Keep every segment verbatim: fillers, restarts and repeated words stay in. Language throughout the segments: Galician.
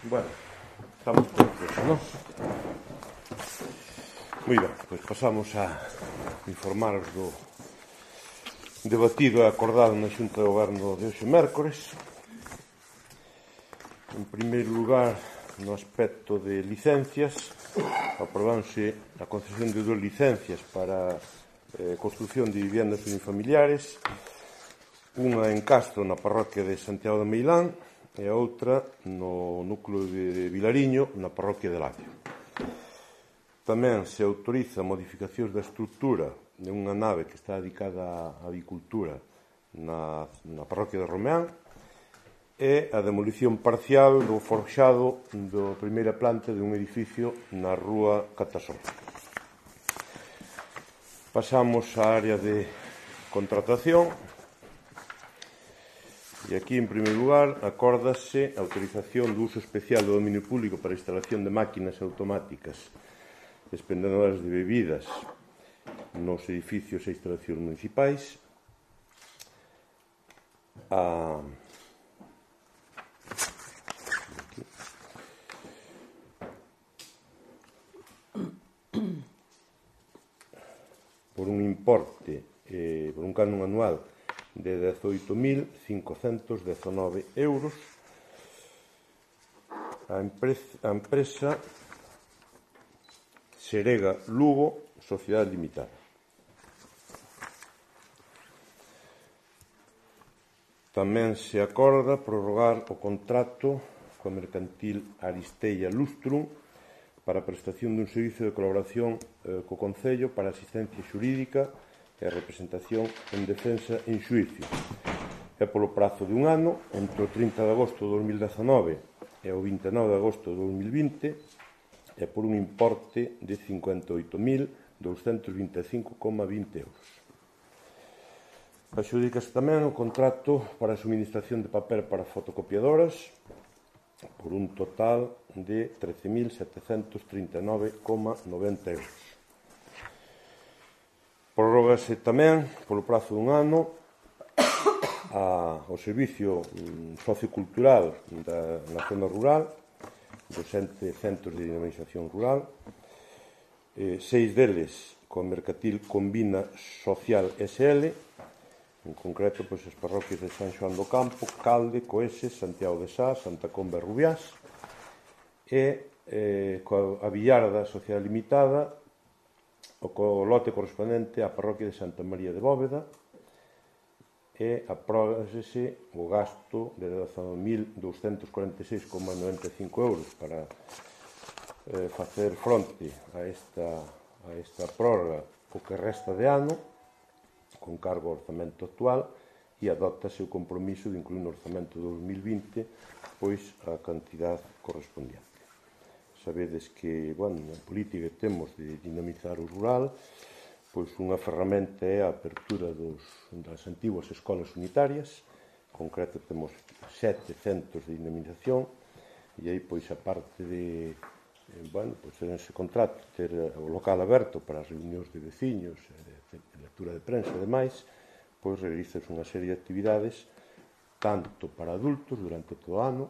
Bueno, estamos todos eso, ¿no? Moi ben, pois pasamos a informaros do debatido e acordado na Xunta de Goberno de hoxe mércores. En primeiro lugar, no aspecto de licencias, aprobáronse a concesión de dúas licencias para eh, construción de viviendas unifamiliares, unha en Castro, na parroquia de Santiago de Meilán, e a outra no núcleo de Vilariño, na parroquia de Lacio. Tamén se autoriza modificacións da estrutura de unha nave que está dedicada á avicultura na, na parroquia de Romeán e a demolición parcial do forxado da primeira planta de un edificio na rúa Catasol. Pasamos á área de contratación. E aquí, en primeiro lugar, acórdase a autorización do uso especial do dominio público para a instalación de máquinas automáticas expendedoras de bebidas nos edificios e instalacións municipais. A... por un importe, eh, por un canon anual de dezoito mil cincocentos dezanove euros. A empresa, a empresa Serega Lugo, Sociedade Limitada. Tamén se acorda prorrogar o contrato coa mercantil Aristella Lustrum para a prestación dun servicio de colaboración eh, co Concello para asistencia xurídica e representación en defensa en xuízo. É polo prazo de un ano, entre o trinta de agosto de dos mil dezanove e o vinte e nove de agosto de dos mil vinte, e por un importe de cincuenta e oito mil douscentos vinte e cinco coma vinte euros. Adxudícase tamén o contrato para a suministración de papel para fotocopiadoras por un total de trece mil setecentos trinta e nove coma noventa euros. Prorrógase tamén, polo prazo dun ano, a, o servicio mm, sociocultural da, na zona rural, dos ente centros de dinamización rural, eh, seis deles con mercantil Combina Social S L, en concreto pois, as parroquias de San Xoán do Campo, Calde, Coeses, Santiago de Sá, Santa Comba e Rubiás, e eh, coa a Villarda Sociedade Limitada, o co lote correspondente á parroquia de Santa María de Bóveda, e apróbase o gasto de dezanove mil douscentos cuarenta e seis coma noventa e cinco euros para eh, facer fronte a esta, a esta prórroga o que resta de ano, con cargo ao orzamento actual, e adóptase o compromiso de incluir no orzamento de dos mil vinte pois a cantidad correspondiente. Sabedes que, bueno, na política que temos de dinamizar o rural, pois unha ferramenta é a apertura dos, das antiguas escolas unitarias. En concreto temos sete centros de dinamización, e aí, pois, a parte de, eh, bueno, pois, en ese contrato, ter o local aberto para as reunións de veciños, de, de lectura de prensa e demais, pois, realizas unha serie de actividades tanto para adultos durante todo o ano,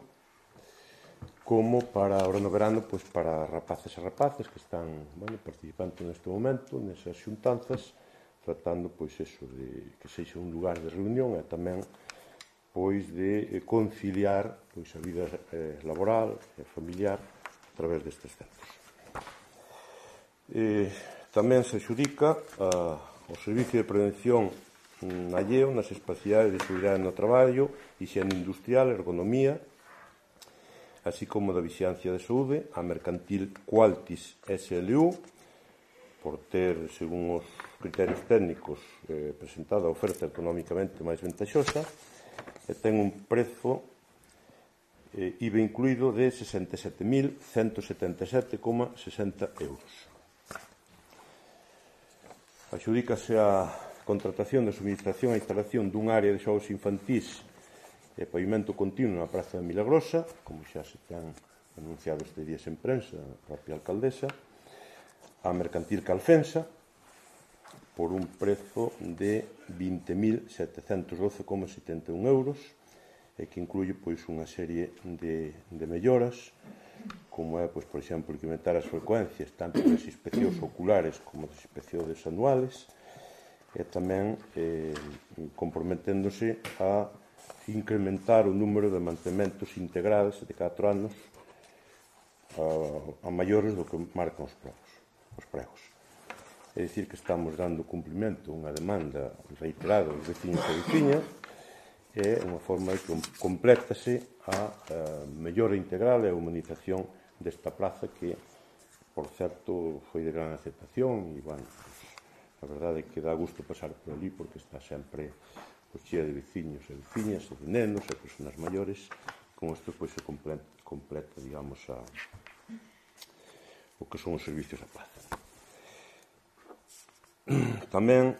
como para, ahora no verano, pois para rapaces e rapaces que están, bueno, participando neste momento nesas xuntanzas, tratando, pois, eso, de que sexa un lugar de reunión e tamén, pois, de conciliar, pois, a vida eh, laboral e familiar a través destes centros. Eh, tamén se adxudica a, o Servicio de Prevención mm, alleo nas espacidades de seguridade no traballo, higiene industrial, ergonomía, así como da vixiancia de saúde, a mercantil Qualtis S L U, por ter, según os criterios técnicos, eh, presentada a oferta económicamente máis ventaxosa, e ten un prezo eh, I V A incluído de sesenta e sete mil ciento setenta e sete coma sesenta euros. Adxudícase a contratación de suministración e instalación dun área de xogos infantís e pavimento continuo na Praza de Milagrosa, como xa se ten anunciado este días en prensa a propia alcaldesa, a mercantil Calfensa, por un prezo de vinte mil setecentos doce coma setenta e un euros, e que incluye pois, unha serie de, de melloras, como é, pois, por exemplo, incrementar as frecuencias tanto das inspeccións oculares como das inspeccións anuales, e tamén eh, comprometéndose a incrementar o número de mantementos integrales de catro anos a, a maiores do que marcan os pregos. Os pregos. É dicir, que estamos dando cumprimento a unha demanda reiterada dos veciños e veciñas, e unha forma de que complétase a, a mellora integral e a humanización desta plaza que, por certo, foi de gran aceptación e, bueno, pues, a verdade é que dá gusto pasar por ali porque está sempre pues, chea de veciños e veciñas e de nenos e personas maiores. Con isto pues, se completa, completa digamos, a, o que son os servicios da plaza. Tamén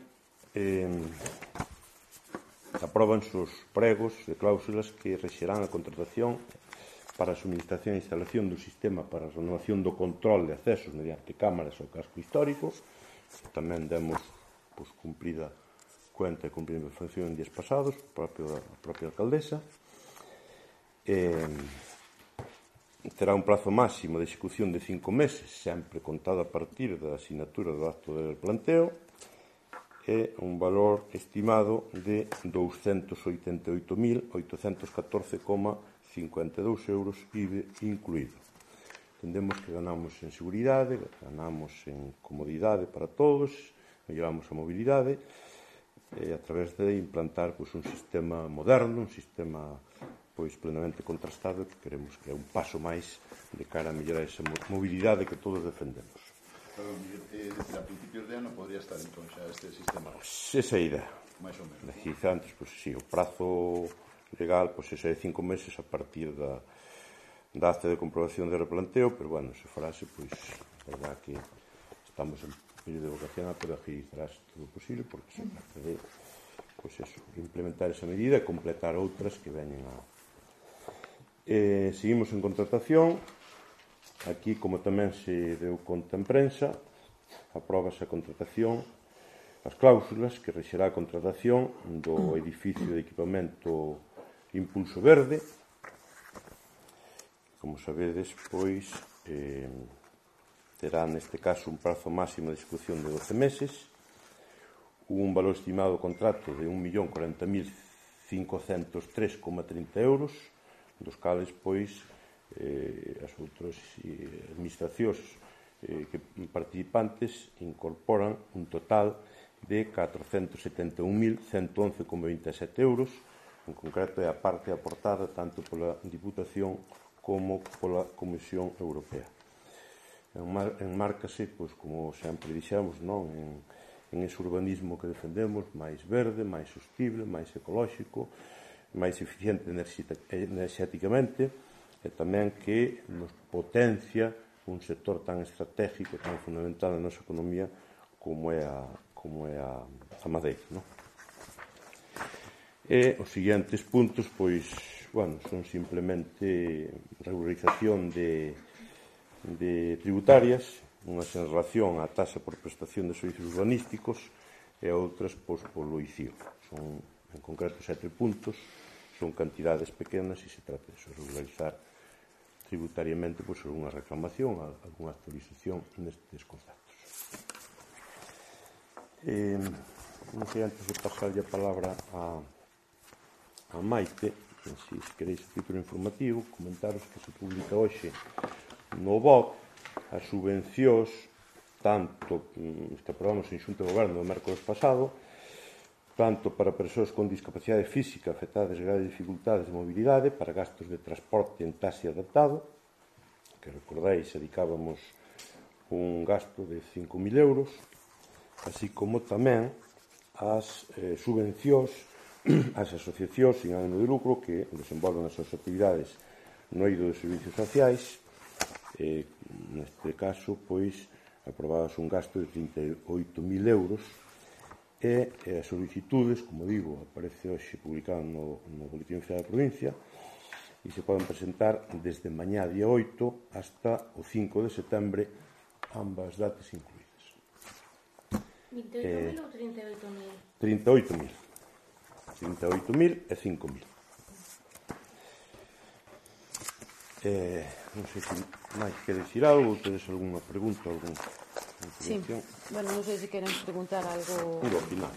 eh, apróbanse os pregos de cláusulas que rexerán a contratación para a suministración e instalación do sistema para a renovación do control de accesos mediante cámaras ao casco histórico. Tamén demos pues, cumprida cuenta e cumprida función en días pasados, a propia alcaldesa. Eh, terá un prazo máximo de execución de cinco meses, sempre contado a partir da asinatura do acto de planteo, e un valor estimado de douscentos oitenta e oito mil oitocentos catorce coma cincuenta e dous euros I V A incluído. Entendemos que ganamos en seguridade, ganamos en comodidade para todos, melloramos a mobilidade, e a través de implantar pois, un sistema moderno, un sistema pois, plenamente contrastado, que queremos que é un paso máis de cara a mellorar esa mobilidade que todos defendemos. Perdón, eh, a principios de ano podría estar entón xa este sistema? Pues, esa é a idea. Mais ou menos. Decir, antes, pues, sí, o prazo legal pues, ese é de cinco meses a partir da, da acta de comprobación de replanteo, pero, bueno, se farase, pois, pues, verdad que estamos en período vocacional, pero agilizarás todo o posible, porque se trata de, pues, eso, implementar esa medida e completar outras que veñen a... Eh, seguimos en contratación. Aquí, como tamén se deu conta en prensa, apróbase a contratación, as cláusulas que rexerá a contratación do edificio de equipamento Impulso Verde. Como sabedes, pois, eh, terá neste caso un prazo máximo de execución de doce meses, un valor estimado do contrato de un millón corenta mil cincocentos tres coma trinta euros, dos cales, pois, Eh, as outras eh, administracións eh, que participantes incorporan un total de catrocentos setenta e un mil ciento once coma veintesete euros, en concreto é a parte aportada tanto pola Diputación como pola Comisión Europea. Enmárcase, pois, como sempre dixemos, non? En, en ese urbanismo que defendemos, máis verde, máis sostible, máis ecolóxico, máis eficiente enerxéticamente, e tamén que nos potencia un sector tan estratégico, tan fundamental na nosa economía como é a, como é a, a madeira, non? E os seguintes puntos, pois, bueno, son simplemente regularización de, de tributarias, unhas en relación á taxa por prestación de servicios urbanísticos e outras, pois, polo I C I O. Son, en concreto, sete puntos, son cantidades pequenas e se trata de regularizar tributariamente pois, algunha reclamación, algunha actualización nestes conceptos. Eh, non sei, antes de pasarlle a palabra a, a Maite, se queréis a título informativo, comentaros que se publica hoxe no B O C as subvencións tanto que aprobamos en Xunta de Goberno o mércoles pasado, tanto para persoas con discapacidade física afectadas de graves dificultades de mobilidade, para gastos de transporte en taxi adaptado, que recordáis, dedicábamos un gasto de cinco mil euros, así como tamén as eh, subvencións ás asociacións sin ánimo de lucro que desenvolven as súas actividades no eido de servicios sociais. Eh, neste caso, pois, aprobadas un gasto de trinta e oito mil euros, e as solicitudes, como digo, aparece hoxe publicado no, no Boletín Oficial da Provincia e se poden presentar desde mañá día oito hasta o cinco de setembro, ambas datas incluídas. vinte e oito mil ou trinta e oito mil? trinta e oito mil. trinta e oito mil e cinco mil. Eh, non sei se máis queres dicir algo, tedes algunha pregunta, algún Sí, bueno, non sei se queren preguntar algo algo ao final.